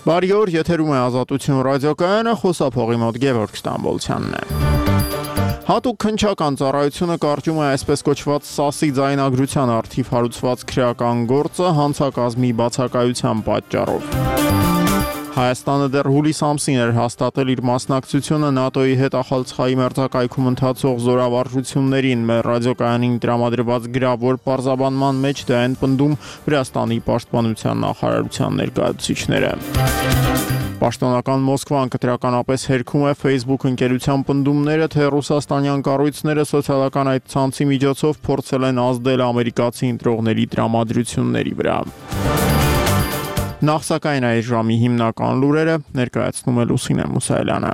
Բարի օր, եթերում է Ազատություն ռադիոկայանը, խոսափողի մոտ Գևորգ Ստամբոլցյանն է։ Հատուկ քննչական ծառայությունը կարճում է այսպես կոչված ՍԱՍ-ի ձայնագրության առթիվ հարուցված քրեական գործը հանցակազմի բացակայության պատճառով։ Հայաստանը դեռ հուլիս ամսին էր հաստատել իր մասնակցությունը ՆԱՏՕ-ի հետ Ախալցխայի մերձակայքում ընթացող զորավարժություններին։ Մեր ռադիոկայանին տրամադրված գրավ, որ պարզաբանման մեջ դա են պնդում Վրաստանի պաշտպանության նախարարության ներկայացուցիչները։ Պաշտոնական Մոսկվան կտրականապես հերքում է Facebook ընկերության պնդումները, թե ռուսաստանյան կառույցները սոցիալական այդ ցանցի միջոցով փորձել են ազդել ամերիկացի ընտրողների տրամադրությունների վրա։ Նախ սակայն այս ժամի հիմնական լուրերը ներկայացնում է Լուսինե Մուսայելյանը։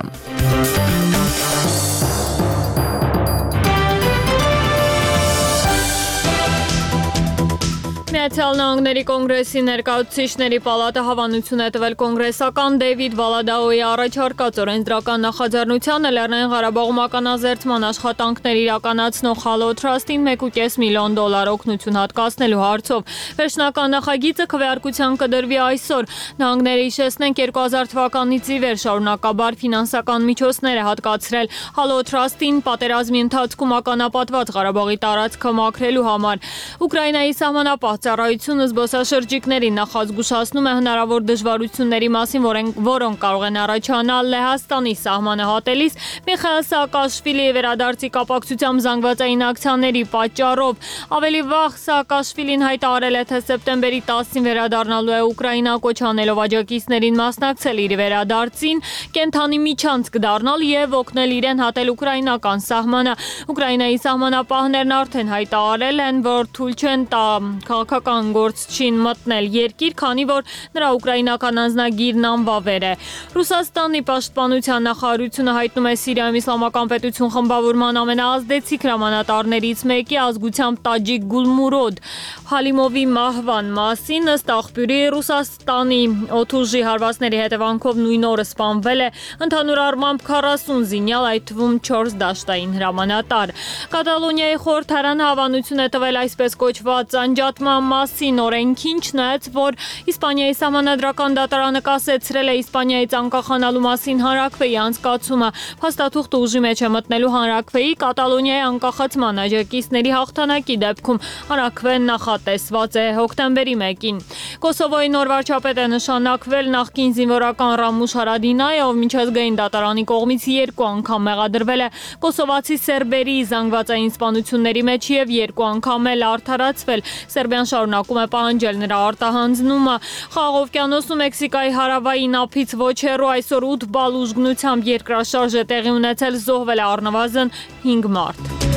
Միացյալ Նահանգների կոնգրեսի ներկայացուցիչների պալատը հավանություն է տվել կոնգրեսական Դեյվիդ Վալադաոյի առաջարկած օրենսդրական նախաձեռնությանը Լեռնային Ղարաբաղում ականազերծման աշխատանքներ իրականացնող Halo Trust-ին $1.5 միլիոն օգնություն հատկացնելու հարցով։ Վերջնական նախագիծը քվեարկության կդրվի այսօր։ Նահանգները հիշեցնենք 2000 թվականից ի վեր շարունակաբար ֆինանսական միջոցներ է հատկացրել Halo Trust-ին պատերազմի ընթացքում ականապատված Ղարաբաղի տարածքը մաքրելու համար։ Ուկրաինայի սահմանապահ ծառայությունը զբոսաշրջիկներին նախազգուշացնում է հնարավոր դժվարությունների մասին, որոնք կարող են առաջանալ Լեհաստանի սահմանը հատելիս Միխայել Սաակաշվիլիի վերադարձի կապակցությամբ զանգվածային ակցիաների պատճառով։ Ավելի վաղ Սաակաշվիլին հայտարարել է, թե սեպտեմբերի 10-ին վերադառնալու է Ուկրաինա, կոչ անելով աջակիցներին մասնակցել իր վերադարձին, կենթանի միջանցք դառնալ եւ օգնել իրեն հատել ուկրաինական սահմանը։ Ուկրաինայի սահմանապահներն արդեն հայտարարել են, որ թույլ չեն տա քաղաքական գործչին մտնել երկիր, քանի որ նրա ուկրաինական անձնագիրն անվավեր է։ Ռուսաստանի պաշտպանության նախարարությունը հայտնում է Սիրիայում իսլամական պետություն խմբավորման ամենաազդեցիկ հրամանատարներից մեկի ազգությամբ տաջիկ Գուլմուրոդ Հալիմովի մահվան մասին։ Ըստ աղբյուրի Ռուսաստանի օդուժի հարվածների հետևանքով նույն օրը սպանվել է ընդհանուր առմամբ 40 զինյալ, այդ թվում 4 դաշտային հրամանատար։ Կատալոնիայի խորհրդարանը հավանություն է տվել այսպես կոչված անջատման մասին օրենքին, չնայած որ Իսպանիայի սահմանադրական դատարանը կասեցրել է Իսպանիայից անկախանալու մասին հանրաքվեի անցկացումը։ Փաստաթուղթը ուժի մեջ է մտնելու հանրաքվեի Կատալոնիայի անկախացման աջակիցների հաղթանակի դեպքում։ Հանրաքվեն նախատեսված է հոկտեմբերի 1-ին։ Կոսովոյի նոր վարչապետ է նշանակվել նախկին զինվորական Ռամուշ Հարադինայը, ով միջազգային դատարանի կողմից 2 անգամ մեղադրվել է կոսովացի սերբերի զանգվածային սպանությունների մեջ եւ 2 անգամ էլ արդարացվել։ Սերբիան շարունակում է պահանջել նրա արտահանձնումը։ Խաղաղ օվկիանոսում Մեքսիկայի հարավային ափից ոչ հեռու այսօր 8 բալ ուժգնությամբ երկրաշարժ է տեղի ունեցել, զոհվել է առնվազն 5 մարդ։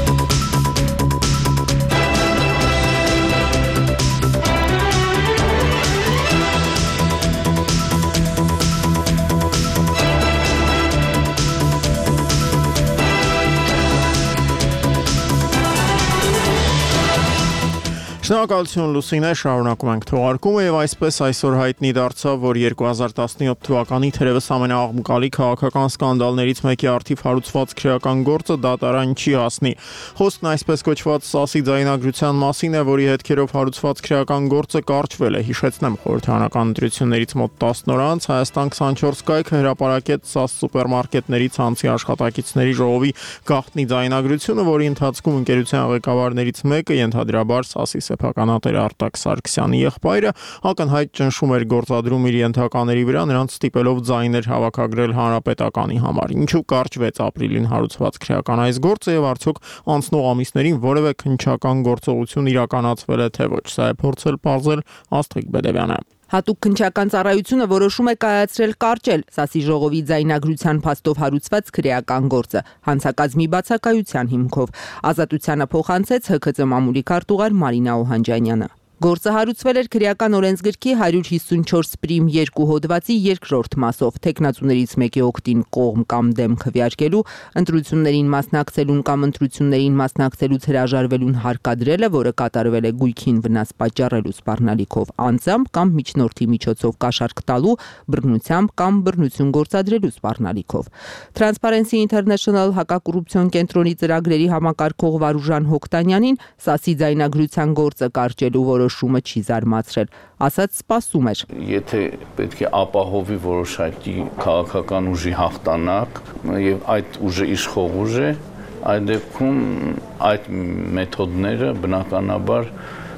Շնորհակալություն Լուսինե, շարունակում ենք թողարկումը եւ այսպես այսօր հայտնի դարձավ, որ 2017 թվականի թերևս ամենաաղմկալի քաղաքական սկանդալներից մեկի առթիվ հարուցված քրեական գործը դատարան չի հասնի։ Խոսքն այսպես կոչված ՍԱՍ-ի ձայնագրության մասին է, որի հետքերով հարուցված քրեական գործը կարճվել է։ Հիշեցնեմ, խորհրդարանական ընտրություններից մոտ 10 օր անց Հայաստան 24 կայքը հրապարակեց ՍԱՍ սուպերմարկետների ցանցի աշխատակիցների ժողովի գաղտնի ձայնագրությունը, որի ընթացքում ընկերության ղեկավարներից մեկը ենթադրաբար ՍԱՍ-ի սեփականատեր Արտակ Սարգսյանի եղբայրը ակնհայտ ճնշում էր գործադրում իր ենթակաների վրա, նրանց ստիպելով ձայներ հավաքագրել հանրապետականի համար։ Ինչու կարճվեց ապրիլին հարուցված քրեական այս գործը եւ արդյոք անցնող ամիսներին որևէ քննչական գործողություն իրականացվել է թե ոչ։ Սա է փորձել պարզել Աստղիկ Բեդևյանը։ Հատուկ քննչական ծառայությունը որոշում է կայացրել կարճել ՍԱՍ-ի ժողովի ձայնագրության փաստով հարուցված քրեական գործը հանցակազմի բացակայության հիմքով։ Ազատությանը փոխանցեց ՀՔԾ մամուլի քարտուղար Մարինա Օհանջանյանը։ Գործը հարուցվել էր քրեական օրենսգրքի 154 պրիմ 2 հոդվածի երկրորդ մասով թեկնածուներից մեկի օգտին կողմ կամ դեմ քվեարկելու, ընտրություններին մասնակցելուն կամ ընտրություններին մասնակցելուց հրաժարվելուն հարկադրելը, որը կատարվել է գույքին վնաս պատճառելու սպառնալիքով անձամբ կամ միջնորդի միջոցով կաշառք տալու, բռնությամբ կամ բռնություն գործադրելու սպառնալիքով։ Transparency International հակակոռուպցիոն կենտրոնի ծրագրերի համակարգող Վարուժան Հոկտանյանին ՍԱՍ-ի ձայնագրության գործը կարճելու որոշումը չի զարմացրել, ասաց սպասում էր։ Եթե պետք է ապահովի որոշակի քաղաքական ուժի հաղթանակ եւ այդ ուժը իշխող ուժ է, այդ դեպքում այդ մեթոդները բնականաբար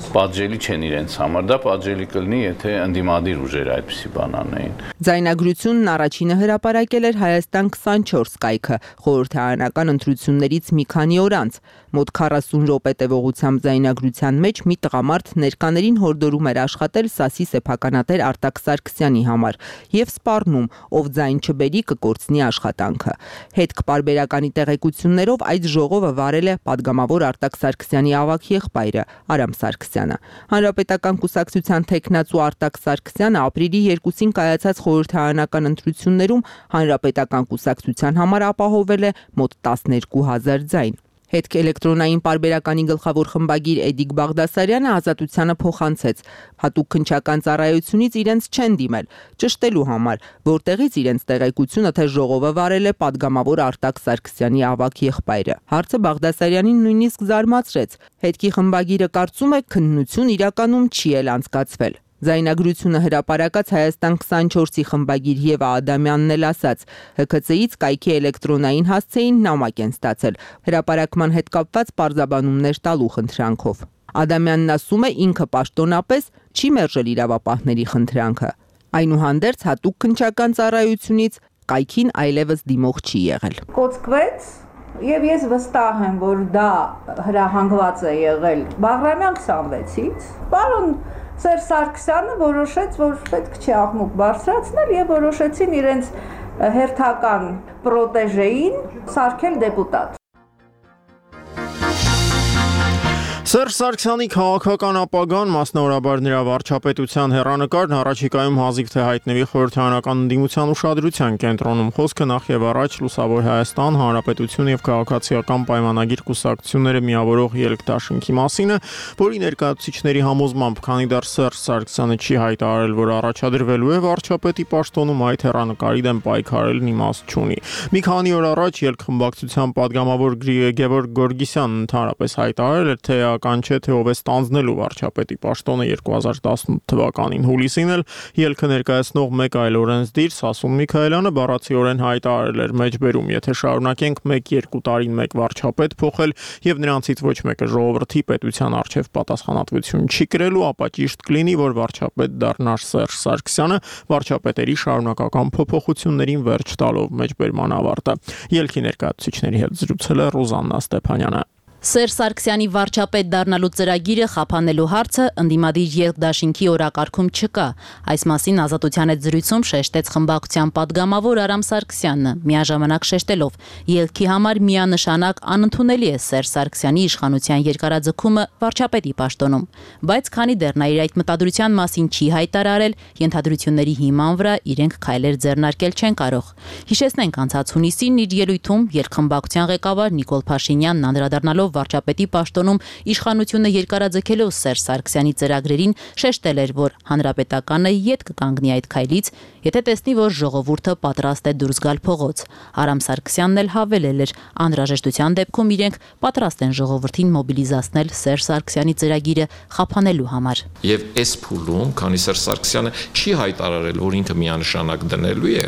պատժելի չեն իրենց համար, դա պատժելի կլինի, եթե ընդդիմադիր ուժերը այդպիսի բան անեին։ Ձայնագրությունն առաջինը հրապարակել էր Հայաստան 24 կայքը, խորհրդարանական ընտրություններից մի քանի օր անց։ Մոտ 40 րոպե տևողությամբ ձայնագրության մեջ մի տղամարդ ներկաներին հորդորում էր աշխատել ՍԱՍ-ի սեփականատեր Արտակ Սարգսյանի համար եւ սպառնում, ով ձայն չբերի կկորցնի աշխատանքը։ Հետք պարբերականի տեղեկություններով այդ ժողովը վարել է падգամավոր Արտակ Սարգսյանի ավագ եղբայրը Արամ Սարգսյանը։ Հանրապետական կուսակցության թեկնածու Արտակ Սարգսյանը ապրիլի 2-ին կայացած խորհրդարանական ընտրություններում Հանրապետական կուսակցության համար ապահովել է մոտ 12000 ձայն։ Հետք էլեկտրոնային պարբերականի գլխավոր խմբագիր Էդիկ Բաղդասարյանը Ազատությանը փոխանցեց. հատուկ քննչական ծառայությունից իրենց չեն դիմել, ճշտելու համար, որտեղից իրենց տեղեկությունը թե ժողովը վարել է падգամավոր Արտակ Սարգսյանի ավագ եղբայրը։ Հարցը Բաղդասարյանին նույնիսկ զարմացրեց։ Հետքի խմբագիրը կարծում է քննություն իրականում չի էլ անցկացվել։ Ձայնագրությունը հրապարակած Հայաստան 24-ի խմբագիր Եվա Ադամյանն էլ ասաց. ՀՔՑ-ից կայքի էլեկտրոնային հասցեին նամակ են ստացել, հրապարակման հետ կապված պարզաբանումներ տալու խնդրանքով։ Ադամյանն ասում է ինքը պաշտոնապես չի մերժել իրավապահների խնդրանքը։ Այնուհանդերձ հատուկ քննչական ծառայությունից կայքին այլևս դիմող չի եղել։ Կոծկվեց եւ ես վստահ եմ, որ դա հրահանգված է եղել Բաղրամյան 26-ից։ Պարոն Սերժ Սարգսյանը որոշեց, որ պետք չէ աղմուկ բարձրացնել եւ որոշեցին իրենց հերթական պրոտեժեին սարքել դեպուտատ։ Սերժ Սարգսյանի քաղաքական ապագան, մասնավորաբար նրա վարչապետության հեռանկարն առաջիկայում հազիվ թե հայտնվի խորհրդարանական ընդդիմության ուշադրության կենտրոնում։ Խոսքը նախ եւ առաջ Լուսավոր Հայաստան, Հանրապետություն եւ քաղաքացիական պայմանագիր կուսակցությունները միավորող ելքդաշինքի մասին է, որի ներկայացուցիչների համոզմամբ, քանի դեռ Սերժ Սարգսյանը չի հայտարարել, որ առաջադրվելու է վարչապետի պաշտոնում, այդ հեռանկարի դեմ պայքարելն իմաստ չունի։ Մի քանի օր առաջ ելքխմբակցության падգամավոր Գևորգ Գորգիսյանն ընդհանրապես հայտարարել էր, թե չէ թե ով է ստանձնելու վարչապետի պաշտոնը 2018 թվականին հուլիսին էլ ելքը ներկայացնող մեկ այլ օրենսդիր Սասուն Միքայելյանը բառացիորեն հայտարարել էր մեջբերում, եթե շարունակենք 1-2 տարին մեկ վարչապետ փոխել եւ նրանցից ոչ մեկը ժողովրդի պետության արչեւ պատասխանատվություն չի կրելու, ապա ճիշտ կլինի, որ վարչապետ դառնա Սերժ Սարգսյանը վարչապետերի շարունակական փոփոխություններին վերջ տալով մեջբերման ավարտը։ Ելքի ներկայացուցիչների հետ զրուցել է Ռոզաննա Ստեփանյանը։ Սերժ Սարգսյանի վարչապետ դառնալու ծրագիրը խափանելու հարցը ընդդիմադիր ելքդաշինքի օրակարգում չկա։ Այս մասին Ազատության հետ զրույցում շեշտեց խմբակցության падգամավոր Արամ Սարգսյանը, միաժամանակ շեշտելով. ելքի համար միանշանակ անընդունելի է Սերժ Սարգսյանի իշխանության երկարաձգումը վարչապետի պաշտոնում։ Բայց քանի դեռ նա իր այդ մտադրության մասին չի հայտարարել, ենթադրությունների հիման վրա իրենք քայլեր ձեռնարկել չեն կարող։ Հիշեցնենք անցած հունիսին իր ելույթում ելքխմբակցության ղեկավար Նիկոլ Փաշինյանն անդրադառնալով վարչապետի պաշտոնում իշխանությունը երկարաձգելով Սերժ Սարգսյանի ծրագրերին շեշտել էր, որ հանրապետականը ետ կկանգնի այդ քայլից, եթե տեսնի, որ ժողովուրդը պատրաստ է դուրս գալ փողոց։ Արամ Սարգսյանն էլ հավելել էր, անհրաժեշտության դեպքում իրենք պատրաստ են ժողովրդին մոբիլիզացնել Սերժ Սարգսյանի ծրագիրը խափանելու համար։ Եվ այս փուլում, քանի Սերժ Սարգսյանը չի հայտարարել, որ ինքը միանշանակ դնելու է,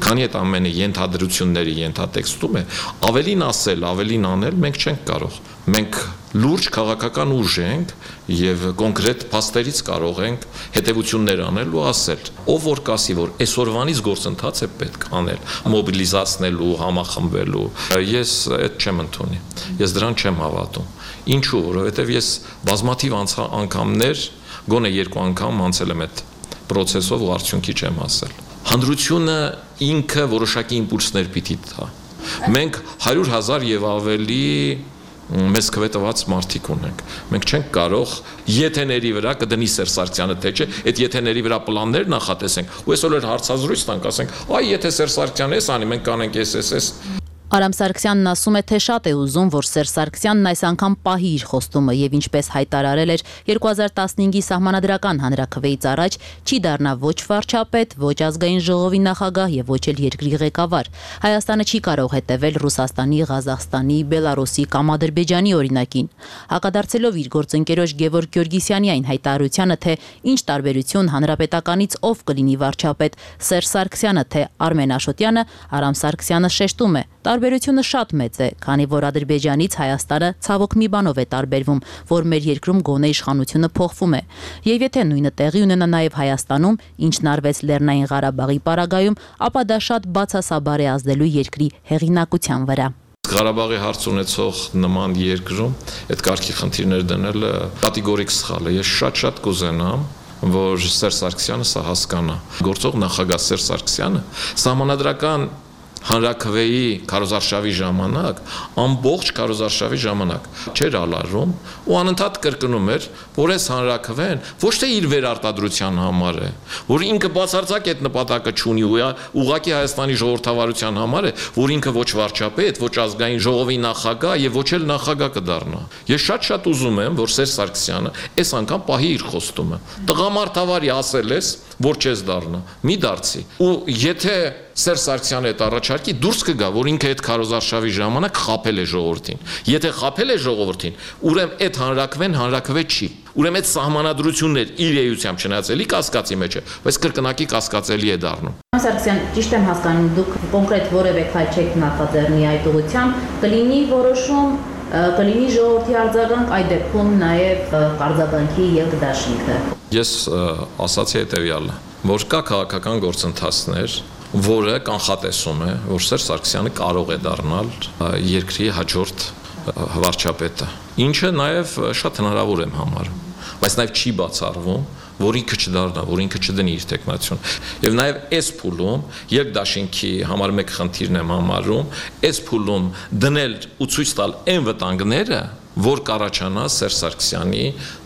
քանի այդ ամենը ենթադրությունների ենթատեքստում է, ավելին ասել, ավելին անել մենք չենք կարող։ Մենք լուրջ քաղաքական ուժ ենք եւ կոնկրետ փաստերից կարող ենք հետեւություններ անել ու ասել, ով որ կասի, որ այսօրվանից գործընթաց է պետք անել, մոբիլիզացնելու, համախմբելու, ես այդ չեմ ընդունի։ Ես դրան չեմ հավատում։ Ինչու՞, որովհետեւ ես բազմաթիվ անգամներ, գոնե 2 անգամ անցել եմ այդ process-ով ու արդյունքի չեմ հասել։ Հանրությունը ինքը որոշակի իմպուլսներ պիտի տա։ Մենք 100,000 եւ ավելի մեզ քվետված մարդիկ ունենք։ Մենք չենք կարող եթեների վրա կդնի Սերժ Սարգսյանը թե չէ, այդ եթեների վրա պլաններ նախատեսենք։ Ու այսօր հարցազրույց տանք, ասենք, այ եթե Սերժ Սարգսյանը էս անի, մենք կանենք էս։ Արամ Սարգսյանն ասում է, թե շատ է ուզում, որ Սերժ Սարգսյանն այս անգամ պահի իր խոստումը եւ ինչպես հայտարարել էր 2015-ի սահմանադրական հանրաքվեից առաջ, չի դառնա ոչ վարչապետ, ոչ ազգային ժողովի նախագահ եւ ոչ էլ երկրի ղեկավար։ Հայաստանը չի կարող հետևել Ռուսաստանի, Ղազախստանի, Բելարուսի կամ Ադրբեջանի օրինակին։ Հակադարձելով իր գործընկերոջ Գևորգ Գյորգիսյանի այն հայտարարությանը, թե ինչ տարբերություն հանրապետականից ով կլինի վարչապետ, Սերժ Սարգսյանը թե Արմեն Աշոտյանը, Արամ Սարգսյանը շեշտում է. տարբերությունը շատ մեծ է, քանի որ Ադրբեջանից Հայաստանը ցավոք մի բանով է տարբերվում, որ մեր երկրում գոնե իշխանությունը փոխվում է։ Եվ եթե նույնը տեղի ունենա նաև Հայաստանում, ինչն արվեց Լեռնային Ղարաբաղի պարագայում, ապա դա շատ բացասաբար է ազդելու երկրի հեղինակության վրա։ Ղարաբաղի հարց ունեցող նման երկրում այդ կարգի խնդիրներ դնելը կատեգորիկ սխալ է։ Ես շատ կուզենամ, որ Սերժ Սարգսյանը սա հասկանա։ Գործող նախագահ Սերժ Սարգսյանը սահմանադրական հանրաքվեի քարոզարշավի ժամանակ, ամբողջ քարոզարշավի ժամանակ չէր ալարում ու անընդհատ կրկնում էր, որ այս հանրաքվեն ոչ թե իր վերարտադրության համար է, որ ինքը բացարձակ այդ նպատակը չունի, ուղղակի Հայաստանի ժողովրդավարության համար է, որ ինքը ոչ վարչապետ, ոչ ազգային ժողովի նախագահ եւ ոչ էլ նախագահ կդառնա։ Ես շատ ուզում եմ, որ Սերժ Սարգսյանը այս անգամ պահի իր խոստումը։ Տղամարդավարի ասել ես, որ չես դառնա, մի դարձի։ Ու եթե Սերժ Սարգսյանը այդ առաջարկի դուրս կգա, որ ինքը այդ քարոզարշավի ժամանակ խաբել է ժողովրդին։ Եթե խաբել է ժողովրդին, ուրեմն այդ հանրաքվեն հանրաքվե չի։ Ուրեմն այդ սահմանադրություններ իր էությամբ չնայածելի կասկածի մեջ է, բայց կրկնակի կասկածելի է դառնում։ Սարգսյան, ճիշտ եմ հասկանում, դուք կոնկրետ որևէ քայլ չեք նախաձեռնի այդ ուղղությամբ, կլինի որոշում, կլինի ժողովրդի արձագանք, այդ դեպքում նաև արձագանքի եւ դաշինքը։ Ես ասացի հետեւյալը, որ կա քաղաքական գործընթացներ, որը կանխատեսում է, որ Սերժ Սարգսյանը կարող է դառնալ երկրի հաջորդ վարչապետը, ինչը նաև շատ հնարավոր եմ համարում, բայց նաև չի բացառվում, որ ինքը չդառնա, որ ինքը չդնի իր տեխնացիոն։ Եվ նաև այս փուլում երկդաշինքի համար մեկ խնդիրն եմ համարում, այս փուլում դնել ու ցույց տալ այն վտանգները, որ կառաջանա Սերժ Սարգսյանի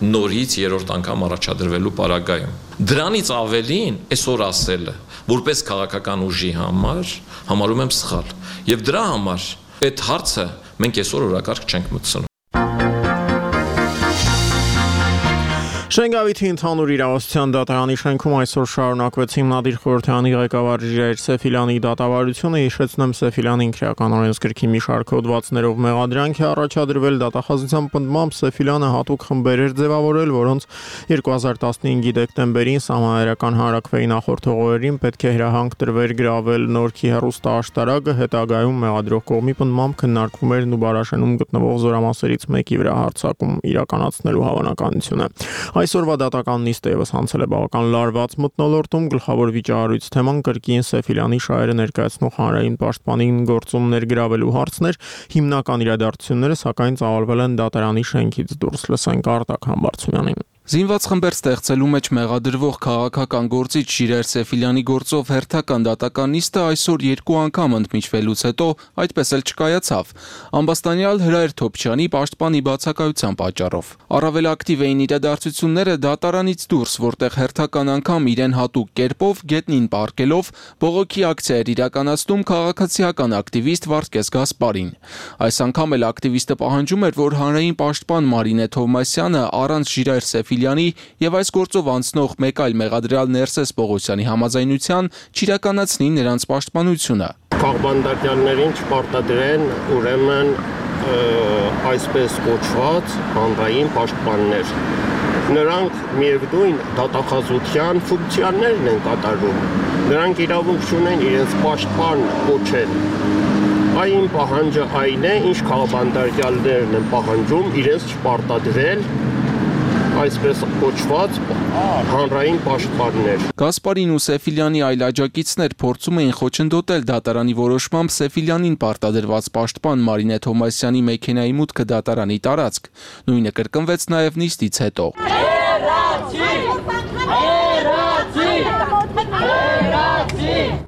նորից երրորդ անգամ առաջադրվելու պարագայում։ Դրանից ավելին այսօր ասելը, որպես քաղաքական ուժի համար համարում եմ սխալ։ Եվ դրա համար այդ հարցը մենք այսօր օրակարգ չենք մտցնում։ Շենգավիթի ընդհանուր իրավասության դատարանի շենքում այսօր շարունակվեց հիմնադիր խորհրդարանի ղեկավար Ժիրայր Սեֆիլյանի դատավարությունը, հիշեցնեմ Սեֆիլյանին քրեական օրենսգրքի մի շարք հոդվածներով մեղադրանք է առաջադրվել, դատախազության պնդմամբ Սեֆիլյանը հատուկ խմբեր էր ձևավորել, որոնց 2015-ի դեկտեմբերին սահմանադրական հանրաքվեի նախորդ օրերին պետք է հրահանգ տրվեր գրավել Նորքի հեռուստաաշտարակը, հետագայում մեղադրող կողմի պնդմամբ քննարկվում էր Նուբարաշենում գտնվող զորամասերից մեկի վրա հարձակում իրականացնելու հավանականությունը։ Այսօրվա դատական նիստը ևս անցել է բավական լարված մթնոլորտում, գլխավոր վիճահարույց թեման կրկին Սեֆիլյանի շահերը ներկայացնող հանրային պաշտպանին գործում ներգրավելու հարցն էր, հիմնական իրադարձությունները սակայն ծավալվել են դատարանի շենքից դուրս, լսենք Արտակ Համբարձումյանին։ Զինված խմբեր ստեղծելու մեջ մեղադրվող քաղաքական գործիչ Ժիրայր Սեֆիլյանի գործով հերթական դատական նիստը այսօր երկու անգամ ընդմիջվելուց հետո այդպես էլ չկայացավ, ամբաստանյալ Հրայր Թոփչյանի պաշտպանի բացակայության պատճառով։ Առավել ակտիվ էին իրադարձությունները դատարանից դուրս, որտեղ հերթական անգամ իրեն հատուկ կերպով գետնին պառկելով բողոքի ակցիա էր իրականացնում քաղաքացիական ակտիվիստ Վարդգես Գասպարին։ Այս անգամ էլ ակտիվիստը պահանջում էր, որ հանրային պաշտպան Մարինե Թովմասյանը առանց Ժիրայր Սեֆիլյանի եւ այս գործով անցնող մեկ այլ մեղադրյալ Ներսես Պողոսյանի համաձայնության չիրականացնի նրանց պաշտպանությունը։ Քաղբանդակյալներին չպարտադրեն ուրեմն այսպես կոչված հանրային պաշտպաններ։ Նրանք միևնույն դատախազության ֆունկցիաներն են կատարում։ Նրանք իրավունք չունեն իրենց պաշտպան կոչել։ Այն պահանջը այն է, ինչ քաղբանդակյալներն են պահանջում իրենց չպարտադրել այսպես կոչված հանրային պաշտպաններ։ Գասպարին ու Սեֆիլյանի այլ աջակիցներ փորձում էին խոչընդոտել դատարանի որոշմամբ Սեֆիլյանին պարտադրված պաշտպան Մարինե Թովմասյանի մեքենայի մուտքը դատարանի տարածք։ Նույնը կրկնվեց նաև նիստից հետո։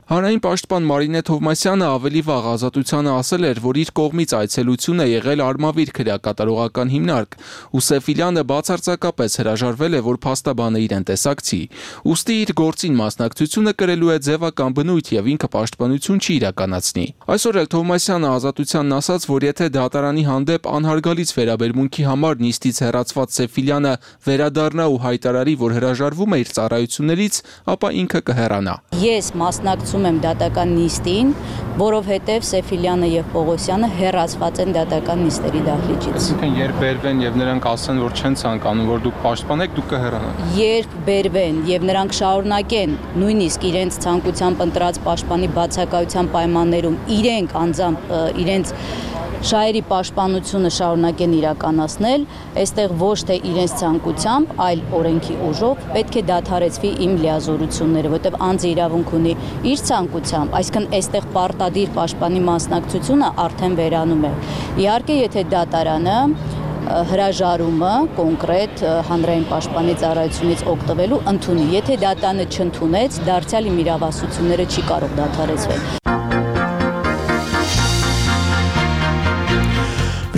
Հանրային պաշտպան Մարինե Թովմասյանը ավելի վաղ Ազատությանը ասել էր, որ իր կողմից այցելություն է եղել Արմավիր քրեակատարողական հիմնարկ, ու Սեֆիլյանը բացարձակապես հրաժարվել է, որ փաստաբանը իրեն տեսակցի։ Ուստի իր գործին մասնակցությունը կրելու է ձևական բնույթ եւ ինքը պաշտպանություն չի իրականացնի։ Այսօր էլ Թովմասյանը Ազատությանն ասաց, որ եթե դատարանի հանդեպ անհարգալից վերաբերմունքի համար նիստից հեռացված Սեֆիլյանը վերադառնա ու հայտարարի, որ հրաժարվում է իր ծառայություններից, ապա ինքը կհեռանա։ Ես մասնակցում եմ դատական նիստին, որովհետև Սեֆիլյանը եւ Պողոսյանը հեռացված են դատական նիստերի դահլիճից։ Այսինքն երբ բերվեն եւ նրանք ասեն, որ չեն ցանկանում, որ դուք պաշտպանեք, դուք կհեռանաք։ Երբ բերվեն եւ նրանք շարունակեն նույնիսկ իրենց ցանկությամբ ընտրած պաշտպանի բացակայության պայմաններում իրենք անձամբ իրենց շահերի պաշտպանությունը շարունակեն իրականացնել, այստեղ ոչ թե իրենց ցանկությամբ, այլ օրենքի ուժով պետք է դադարեցվի իմ լիազորությունները, որտեղ անձը իրավունք ունի իր ցանկությամբ, այսինքն այստեղ պարտադիր պաշտպանի մասնակցությունը արդեն վերանում է։ Իհարկե, եթե դատարանը հրաժարումը կոնկրետ հանրային պաշտպանի ծառայությունից օգտվելու ընդունի, եթե դատարանը չընդունեց, դարձյալ իմ իրավասությունները չի կարող դադարեցվել։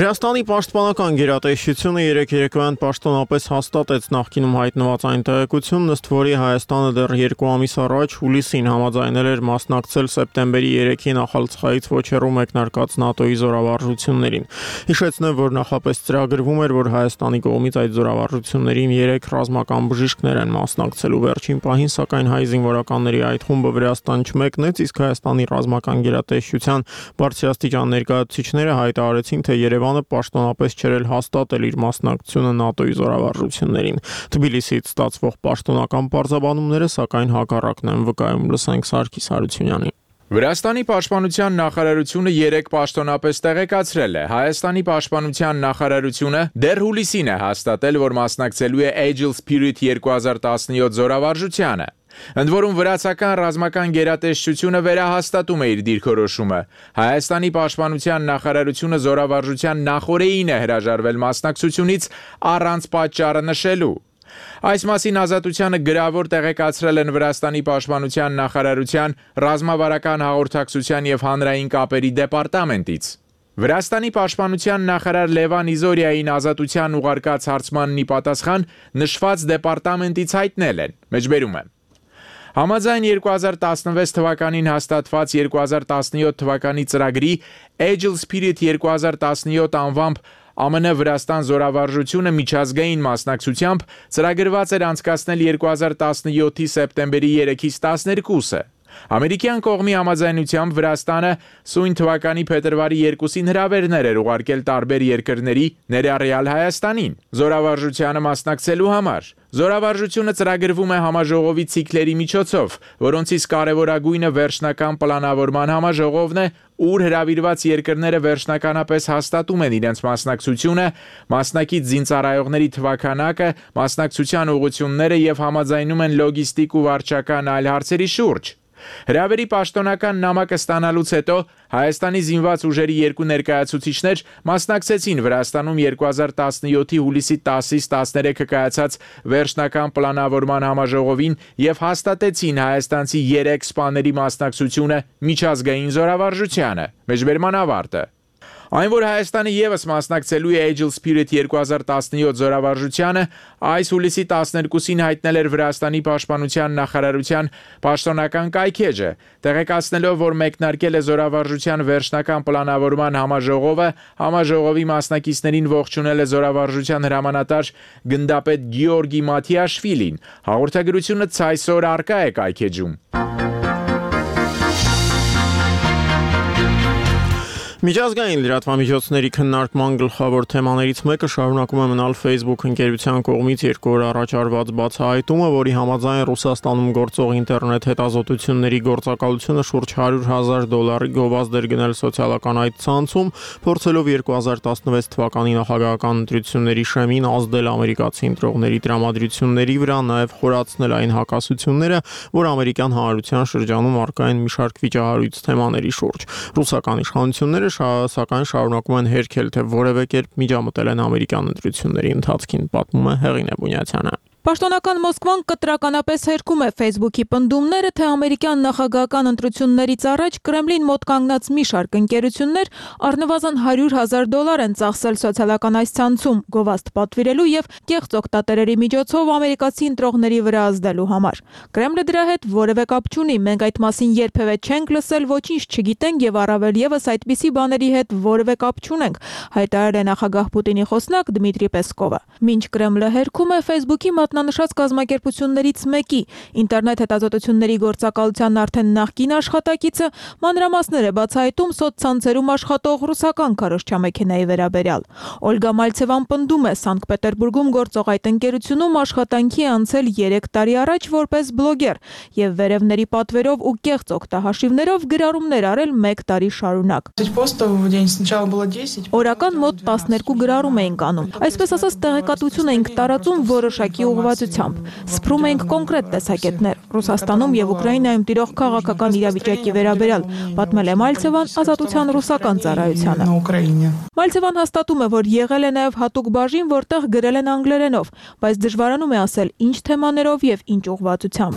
Վրաստանի պաշտպանական գերատեսչությունը երեկ երեկոյան պաշտոնապես հաստատեց նախկինում հայտնված այն տեղեկությունն, ըստ որի Հայաստանը դեռ 2 ամիս առաջ հուլիսին համաձայնել էր մասնակցել սեպտեմբերի 3-ի նախալցխայից ոչ հեռու մեկնարկած ՆԱՏՕ-ի զորավարժություններին։ Հիշեցնեմ, որ նախապես ծրագրվում էր, որ Հայաստանի կողմից այդ զորավարժություններին 3 ռազմական բժիշկներ են մասնակցելու վերջին պահին, սակայն հայ զինվորականների այդ խումբը Վրաստան չմեկնեց, իսկ Հայաստանի ռազմական գերատեսչության բարձրաստիճան ներկայացուցիչները հայտարարեցին, թե Երևանը պաշտոնապես չէր հաստատել իր մասնակցությունը ՆԱՏՕ-ի զորավարժություններին։ Թբիլիսիից ստացվող պաշտոնական պարզաբանումները սակայն հակառակն են վկայում, լսենք Սարգիս Հարությունյանին։ Վրաստանի պաշտպանության նախարարությունը երեկ պաշտոնապես տեղեկացրել է. Հայաստանի պաշտպանության նախարարությունը դեռ հուլիսին է հաստատել, որ մասնակցելու է Agile Spirit 2017 զորավարժությանը։ Ընդ որում վրացական ռազմական գերատեսչությունը վերահաստատում է իր դիրքորոշումը։ Հայաստանի պաշտպանության նախարարությունը զորավարժության նախօրեին է հրաժարվել մասնակցությունից առանց պատճառը նշելու։ Այս մասին Ազատությանը գրավոր տեղեկացրել են Վրաստանի պաշտպանության նախարարության ռազմավարական հաղորդակցության եւ հանրային կապերի դեպարտամենտից։ Վրաստանի պաշտպանության նախարար Լևան Իզորիային Ազատության ուղարկած հարցմանն ի պատասխան նշված դեպարտամենտից հայտնել են. Մեջբերում եմ. Համաձայն 2016 թվականին հաստատված 2017 թվականի ծրագրի Agile Spirit 2017 անվամբ ԱՄՆ Վրաստան զորավարժությունը միջազգային մասնակցությամբ ծրագրված էր անցկացնել 2017-ի սեպտեմբերի 3-ից 12-ը։ Ամերիկյան կողմի համաձայնությամբ Վրաստանը սույն թվականի փետրվարի 2-ին հրավերներ էր ուղարկել տարբեր երկրների, ներառյալ Հայաստանին, զորավարժությանը մասնակցելու համար։ Զորավարժությունը ծրագրվում է համաժողովի ցիկլերի միջոցով, որոնցից կարևորագույնը վերջնական պլանավորման համաժողովն է, ուր հրավիրված երկրները վերջնականապես հաստատում են իրենց մասնակցությունը, մասնակից զինծառայողների թվաքանակը, մասնակցության ուղղությունները եւ համաձայնում են լոգիստիկ ու վարչական այլ հարցերի շուրջ։ Հրավերի պաշտոնական նամակը ստանալուց հետո Հայաստանի զինված ուժերի երկու ներկայացուցիչներ մասնակցեցին Վրաստանում 2017-ի հուլիսի 10-ից 13-ը կայացած վերջնական պլանավորման համաժողովին եւ հաստատեցին հայաստանցի 3 սպաների մասնակցությունը միջազգային զորավարժությանը։ Մեջբերման ավարտը։ Այն, որ Հայաստանը եւս մասնակցելու է Agile Spirit 2017 զորավարժությանը, այս հուլիսի 12-ին հայտնել էր Վրաստանի պաշտպանության նախարարության պաշտոնական կայքեջը, տեղեկացնելով, որ մեկնարկել է զորավարժության վերջնական պլանավորման համաժողովը, համաժողովի մասնակիցներին ողջունել է զորավարժության հրամանատար գնդապետ Գեորգի Մաթիաշվիլին։ Հաղորդագրությունը ցայսօր արկա է կայքեջում։ Միջազգային լրատվամիջոցների քննարկման գլխավոր թեմաներից մեկը շարունակում է մնալ Facebook ընկերության կողմից 2 օր առաջ արված բացահայտումը, որի համաձայն Ռուսաստանում գործող ինտերնետ հետազոտությունների գործակալությունը շուրջ $100,000 գովազդ էր գնել սոցիալական այդ ցանցում, փորձելով 2016 թվականի նախագահական ընտրությունների շեմին ազդել ամերիկացի ընտրողների տրամադրությունների վրա, նաև խորացնել այն հակասությունները, որ ամերիկյան հանրության շրջանում առկա են մի շարք վիճահարույց թեմաների շուրջ։ Ռուսական իշխանությունները սակայն շարունակում են հերքել, թե որևէ կերպ միջամտել են ամերիկյան ընտրությունների ընթացքին, պատմում է Հեղինե Բունյացյանը։ Պաշտոնական Մոսկվան կտրականապես հերքում է Facebook-ի պնդումները, թե ամերիկյան նախագահական ընտրություններից առաջ Կրեմլին մոտ կանգնած մի շարք ընկերություններ առնվազն $100,000 են ծախսել սոցիալական այս ցանցում գովազդ պատվիրելու եւ կեղծ օգտատերերի միջոցով ամերիկացի ընտրողների վրա ազդելու համար։ Կրեմլը դրա հետ որևէ կապ չունի, մենք այդ մասին երբևէ չենք լսել, ոչինչ չգիտենք եւ առավել եւս այդպիսի բաների հետ որևէ կապ չունենք, հայտարարել է նախագահ Պուտինի խոսնակ Դմիտրի Պեսկովը։ Մինչ Կրեմլը հերքում է Facebook-ի մատնանշած կազմակերպություններից մեկի ինտերնետ հետազոտությունների գործակալության արդեն նախկին աշխատակիցը մանրամասներ է բացահայտում սոցցանցերում աշխատող ռուսական քարոզչամեքենայի վերաբերյալ։ Օլգա Մալցևան պնդում է Սանկտ Պետերբուրգում գործող այդ ընկերությունում աշխատանքի անցել 3 տարի առաջ որպես բլոգեր եւ վերևների պատվերով ու կեղծ օգտահաշիվներով գրառումներ արել 1 տարի շարունակ։ Օրական մոտ 12 գրառում էինք անում։ Այսպես ասած տեղեկատվություն էինք տարածում որոշակի ուղղվածությամբ։ Սփռում ենք կոնկրետ տեսակետներ Ռուսաստանում եւ Ուկրաինայում տիրող քաղաքական իրավիճակի վերաբերյալ, պատմել է Մալցևան Ազատության ռուսական ծառայությանը։ Մալցևան հաստատում է, որ եղել է նաեւ հատուկ բաժին, որտեղ գրել են անգլերենով, բայց դժվարանում է ասել ինչ թեմաներով եւ ինչ ուղղվածությամբ։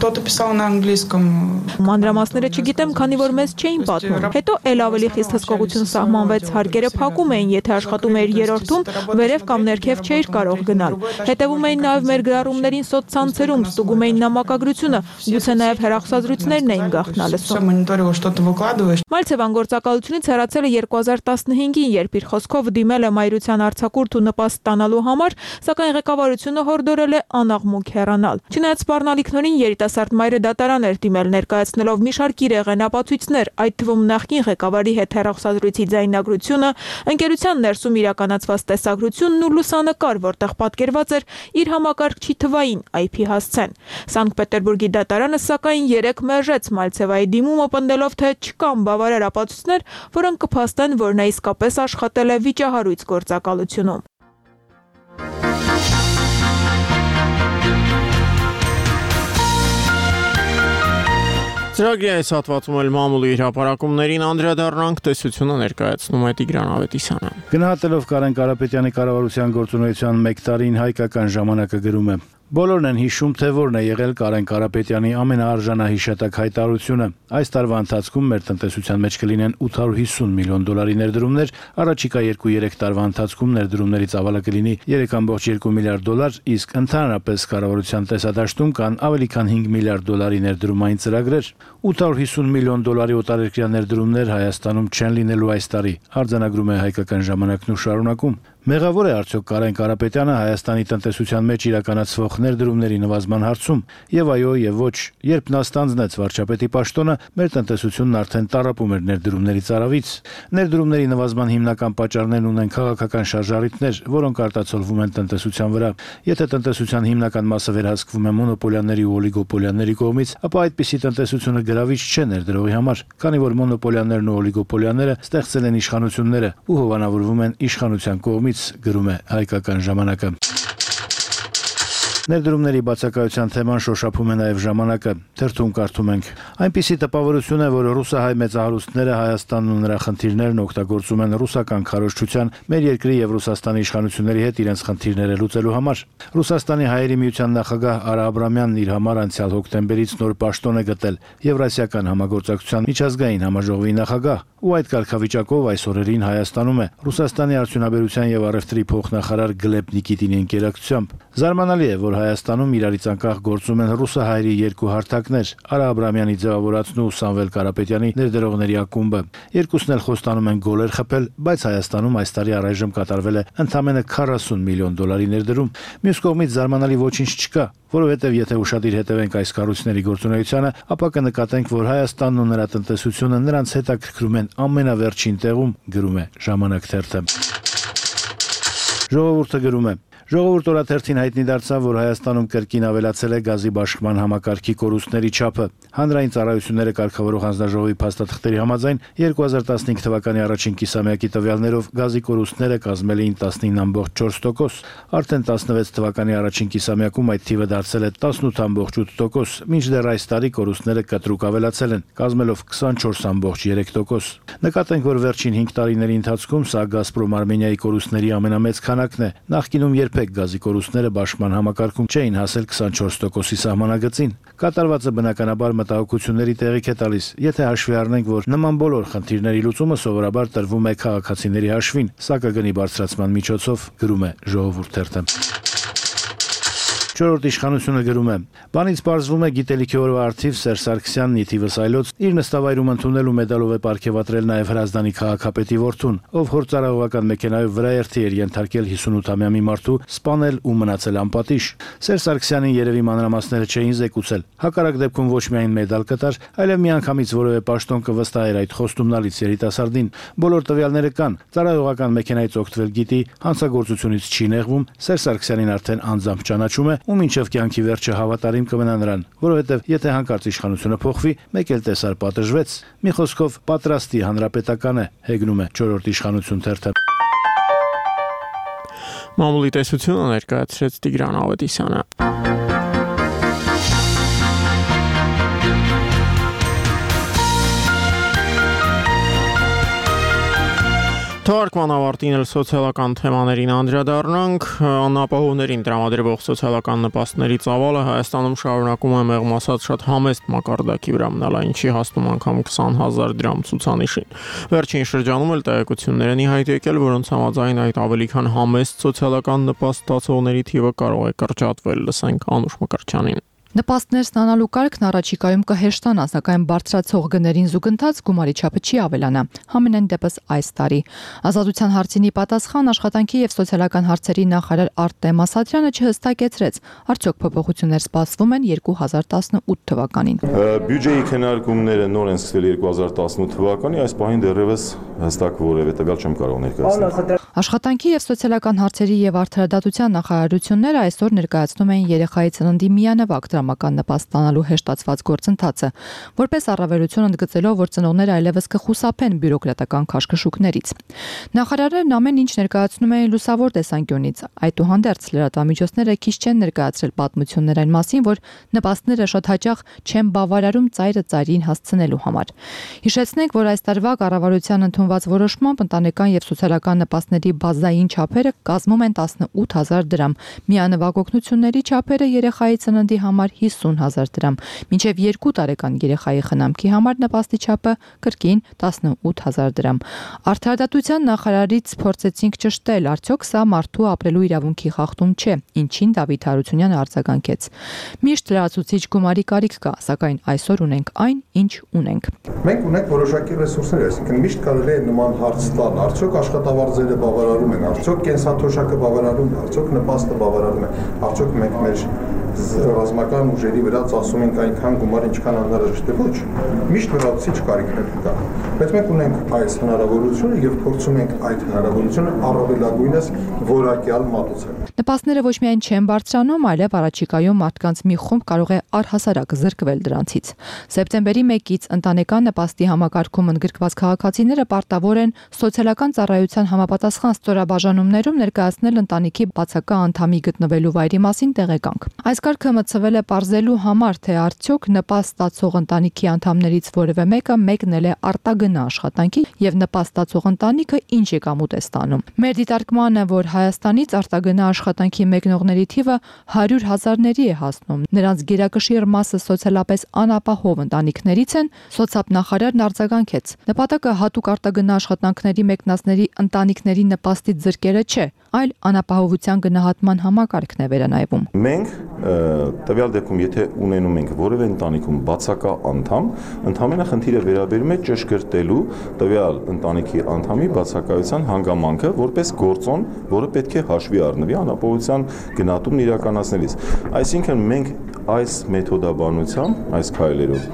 Մանրամասները չգիտեմ, քանի որ մեզ չէին պատմում։ Հետո ել ավելի խիստ հսկողություն սահմանվեց, հարկերը փակում էին, եթե աշխատում էր երրորդում, վերև կամ ներքև չէիր կարող գնալ։ Հետևում էին նաեւ մեր գրառումներին սոցցանցերում, ստուգում էին նամակագրությունը, գուցե նաեւ հեռախոսազրույցներն էին գաղտնալսում։ Մալցևան գործակալությունից հեռացել է 2015-ին, երբ իր խոսքով դիմել է մայրության արձակուրդ ու նպաստ ստանալու համար, սակայն ղեկավարությունը հորդորել է անաղմուկ հեռանալ։ Չնայած սպառնալիքներին երիտասարդ մայրը դատարան էր դիմել, ներկայացնելով մի շարք իրեղեն ապացույցներ, այդ թվում նախկին ղեկավարի հետ հեռախոսազրույցի ձայնագրությունը, ընկերության ներսում իրականացված տեսագրությունն ու լուսանկար, որտեղ պատկերված էր իր համակարգչի թվային IP հասցեն։ Սանկտ Պետերբուրգի դատարանը սակայն 3 մերժեց Մալցևայի դիմումը, պնդելով, թե չկան բավարար ապացույցներ, որոնք կփաստեն, որ նա իսկապես աշխատել է վիճահարույց գործակալությունում։ Ծրագրի այս հատվածում էլ մամուլի հրապարակումներին անդրադառնանք, տեսությունը ներկայացնում է Տիգրան Ավետիսյանը։ Գնահատելով Կարեն Կարապետյանի կառավարության գործունեության 1 տարին հայկական ժամանակը գրում է. Բոլորն են հիշում, թե որն է եղել Կարեն Կարապետյանի ամենաարժանահիշատակ հայտարարությունը։ Այս տարվա ընթացքում մեր տնտեսության մեջ կլինեն $850 միլիոն ներդրումներ, առաջիկա 2-3 տարվա ընթացքում ներդրումներից ավալը կլինի $3.2 միլիարդ, իսկ ընդհանրապես կառավարության տեսադաշտում կան ավելի քան $5 միլիարդ ներդրումային ծրագրեր։ $850 միլիոն օտարերկրյա ներդրումներ Հայաստանում չեն լինելու այս տարի, արձանագրում է հայկական ժամանակն ու շարունակում։ Մեղավոր է արդյոք Կարեն Կարապետյանը Հայաստանի տնտեսության մեջ իրականացվող ներդրումների նվազման հարցում, եւ այո, եւ ոչ, երբ նա ստանձնեց վարչապետի պաշտոնը, մեր տնտեսությունն արդեն տառապում էր ներդրումների ծարավից։ Ներդրումների նվազման հիմնական պատճառներն ունեն քաղաքական շարժառիթներ, որոնք արտացոլվում են տնտեսության վրա։ Եթե տնտեսության հիմնական մասը վերահսկվում է մոնոպոլիաների ու օլիգոպոլիաների կողմից, ապա այդպիսի տնտեսությունը գրավիչ չէ ներդրողի համար, քանի որ մոնոպոլիաներն ու օլիգոպոլիաները ստեղծել են իշխանությունները ու հովանավորվում են իշխանության կողմից, գրում է հայկական ժամանակը։ Ներդրումների բացակայության թեման շոշափում է նաև ժամանակը, թերթում կարդում ենք. Այնպիսի տպավորություն է, որ ռուսահայ մեծահարուստները Հայաստանն ու նրա խնդիրներն օգտագործում են ռուսական քարոզչության, մեր երկրի եւ Ռուսաստանի իշխանությունների հետ իրենց խնդիրները լուծելու համար։ Ռուսաստանի հայերի միության նախագահ Արա Աբրամյանն իր համար անցյալ հոկտեմբերից նոր պաշտոն է գտել Եվրասիական համագործակցության միջազգային համաժողովի նախագահ, ու այդ կարգավիճակով այս օրերին Հայաստանում է Ռուսաստանի արդյունաբերության եւ առևտրի փոխնախարար Գլեբ Նիկիտինի ընկերակցությամբ։ Զարմանալի է, որ Հայաստանում իրարից անկախ գործում են ռուսահայերի երկու հարթակներ՝ Արա Աբրամյանի ձևավորածն ու Սամվել Կարապետյանի ներդրողների ակումբը։ Երկուսն էլ խոստանում են գոլեր խփել, բայց Հայաստանում այս տարի առայժմ կատարվել է ընդամենը $40 միլիոն ներդրում։ Մյուս կողմից զարմանալի ոչինչ չկա, որովհետև եթե ուշադիր հետևենք այս կառույցների գործունեությանը, ապա կնկատենք, որ Հայաստանն ու նրա տնտեսությունը նրանց հետաքրքրում են ամենավերջին տեղում, գրում է Ժամանակ թերթը։ Ժողովուրդը գրում է. Ժողովուրդ օրաթերթին հայտնի դարձավ, որ Հայաստանում կրկին ավելացել է գազի բաշխման համակարգի կորուստների չափը։ Հանրային ծառայությունները կարգավորող հանձնաժողովի փաստաթղթերի համաձայն 2015 թվականի առաջին կիսամյակի տվյալներով գազի կորուստները կազմել էին 19.4%, արդեն 16 թվականի առաջին կիսամյակում այդ թիվը դարձել է 18.8%, մինչդեռ այս տարի կորուստները կտրուկ ավելացել են, կազմելով 24.3%։ Նկատենք, որ վերջին 5 տարիների ընթացքում սա Գազպրոմ Արմենիայի կորուստների ամենամեծ քանակն է, նախկինում երբեք երբեք գազի կորուստները բաշխման համակարգում չէին հասել 24%-ի սահմանագծին։ Կատարվածը բնականաբար մտահոգությունների տեղիք է տալիս, եթե հաշվի առնենք, որ նման բոլոր խնդիրների լուծումը սովորաբար տրվում է քաղաքացիների հաշվին, սակագնի բարձրացման միջոցով, գրում է Ժողովուրդ թերթը։ Չորրորդ իշխանությունը գրում է. Բանից պարզվում է գիտելիքի օրվա արդիվ Սերժ Սարգսյանն ի թիվս այլոց իր նստավայրում ընդունելու մեդալով է պարգևատրել նաև Հրազդանի քաղաքապետի որդուն, ով հորձարողական մեքենայով վրաերթի էր ենթարկել 58-ամյա մի մարդու, սպանել ու մնացել անպատիժ։ Սերժ Սարգսյանին երևի մանրամասները չէին զեկուցել։ Հակառակ դեպքում ոչ միայն մեդալ կտար, այլև միանգամից որևէ պաշտոն կվստահեր այդ խոստումնալից երիտասարդին։ Բոլոր տվյալները կան։ Ծառայողական մեքենայից օգտվել գիտի, հանցագործությունից չի նեղվում, Սերժ Սարգսյանին արդեն անձամբ ճանաչում է ու մինչև կյանքի վերջը հավատարիմ կմնա նրան, որովհետև եթե հանկարծ իշխանությունը փոխվի, մեկ էլ տեսար պատժվեց։ Մի խոսքով պատրաստի հանրապետական է, հեգնում է չորրորդ իշխանություն թերթը։ Մամուլի տեսությունը ներկայացրեց Տիգրան Ավետիսյանը։ Թարգման ավարտին էլ սոցիալական թեմաներին անդրադառնանք, անապահովներին տրամադրվող սոցիալական նպաստների ծավալը Հայաստանում շարունակում է մեղմ ասած շատ համեստ մակարդակի վրա մնալ, ինչի հասնում անգամ 20,000 դրամ ցուցանիշին։ Վերջին շրջանում էլ տեղեկություններ են ի հայտ եկել, որոնց համաձայն այդ ավելի քան համեստ սոցիալական նպաստ ստացողների թիվը կարող է կրճատվել, լսենք Անուշ Մկրտչյանին։ Նպաստներ ստանալու կարգն առաջիկայում կհեշտանա, սակայն բարձրացող գներին զուգընթաց գումարի չափը չի ավելանա, համենայն դեպս այս տարի։ Ազատության հարցինի պատասխան աշխատանքի եւ սոցիալական հարցերի նախարար Արտեմ Ասատրյանը չհստակեցրեց, արդյոք փոփոխություններ սպասվում են 2018 թվականին։ Բյուջեի քննարկումները նոր են սկսվել 2018 թվականի, այս պահին դեռևս հստակ որևէ տվյալ չեմ կարող ներկայացնել։ Աշխատանքի եւ սոցիալական հարցերի եւ արդարադատության նախարարությունները այսօր ներկայացնում են երեխայի ծննդի միանվագ դրամական նպաստ ստանալու հեշտացված գործընթացը, որպես առավելություն ընդգծելով, որ ծնողները այլևս կխուսափեն բյուրոկրատական քաշքշուկներից։ Նախարարներն ամեն ինչ ներկայացնում են լուսավոր տեսանկյունից, այդուհանդերձ լրատվամիջոցները քիչ չեն ներկայացրել պատմություններ այն մասին, որ նպաստները շատ հաճախ չեն բավարարում ծայրը ծայրին հասցնելու համար։ Հիշեցնենք, որ այս տարվա կառավարության ընդունված որոշմամբ ընտանեկան եւ սոցիալական նպաստների բազային չափերը կազմում են 18,000 դրամ, միանվագ օգնությունների չափերը երեխայի ծննդի համար 50,000 դրամ, մինչև 2 տարեկան երեխայի խնամքի համար նպաստի չափը կրկին 18,000 դրամ։ Արդարադատության նախարարից փորձեցինք ճշտել, արդյոք սա մարդու ապրելու իրավունքի խախտում չէ, ինչին Դավիթ Հարությունյանը արձագանքեց։ Միշտ լրացուցիչ գումարի կարիք կա, սակայն այսօր ունենք այն, ինչ ունենք։ Մենք ունենք որոշակի ռեսուրսներ, այսինքն միշտ կարելի է նման հարց տալ, արդյոք աշխատավարձերը բավարարում են, արդյոք կենսաթոշակը բավարարում է, արդյոք նպաստը բավարարում է, արդյոք մենք մեր ռազմական ուժերի վրա ծախսում ենք այնքան գումար, ինչքան անհրաժեշտ է, ոչ։ Միշտ լրացուցիչ կարիքներ կա։ Բայց մենք ունենք այս հնարավորությունը եւ փորձում ենք այդ հնարավորությունը առավելագույնս որակյալ մատուցել։ Նպաստները ոչ միայն չեն բարձրանում, այլև առաջիկայում մարդկանց մի խումբ կարող է առհասարակ զրկվել դրանցից։ Սեպտեմբերի 1-ից ընտանեկան նպաստի համակարգում ընդգրկված քաղաքացիները պարտավոր են սոցիալական ծառայության համապատասխան ստորաբաժանումներում ներկայացնել ընտանիքի բացակա անդամի գտնվելու վայրի մասին տեղեկանք։ Այս կարգը մտցվել է պարզելու համար, թե արդյոք նպաստ ստացող ընտանիքի անդամներից որևէ մեկը մեկնել է արտագնա աշխատանքի եւ նպաստ ստացող ընտանիքը ինչ եկամուտ է ստանում։ Մեր դիտարկմանը, որ Հայաստանից արտագնա աշխատանքի մեկնողների թիվը 100,000-ների է հասնում, նրանց գերակշիռ մասը սոցիալապես անապահով ընտանիքներից են, սոցիալնախարարն արձագանքեց։ Նպատակը հատուկ արտագնա աշխատանքների մեկնածների ընտանիքների նպաստից զրկելը չէ, այլ անապահովության գնահատման համակարգն է վերանայվում։ Մենք տվյալ դեպքում, եթե ունենում ենք որևէ ընտանիքում բացակա անդամ, ընդհանրապես խնդիրը վերաբերում է ճշգրտելու տվյալ ընտանիքի անդամի բացակայության հանգամանքը որպես գործոն, որը պետք է հաշվի առնվի անապահովության գնահատումն իրականացնելիս։ Այսինքն մենք այս մեթոդաբանությամբ, այս քայլերով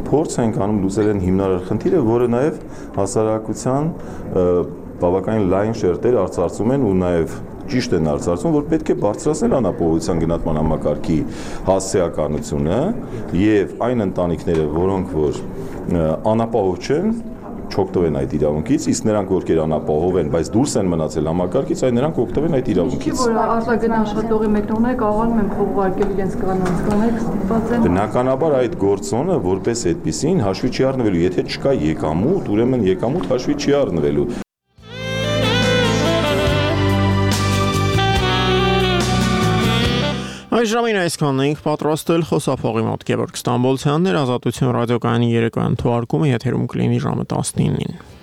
փորձ ենք անում լուծել են հիմնարար խնդիրը, որը նաև հասարակության բավականին լայն շերտեր արծարծում են ու նաև ճիշտ են արծարծում, որ պետք է բարձրացնել անապահովության գնահատման համակարգի հասցեականությունը եւ այն ընտանիքները, որոնք որ անապահով չեն, չօգտվեն այդ իրավունքից, իսկ նրանք, ովքեր անապահով են, բայց դուրս են մնացել համակարգից, այն նրանք օգտվեն այդ իրավունքից։ Որ արտագնա աշխատողի մեկնողները կարողանում են փող ուղարկել իրենց կանանց, կանայք ստիպված են։ Բնականաբար այդ գործոնը որպես այդպեսին հաշվի չի առնվելու, եթե չկա եկամուտ, ուրեմն եկամուտ հաշվի չի առնվելու։ Այս ժամին այսքանն ենք պատրաստել խոսափողի մոտ Գևորգ Ստամբոլցյանն էր, Ազատություն ռադիոկայանի երեկոյան թողարկումը եթերում կլինի ժամը 19-ին։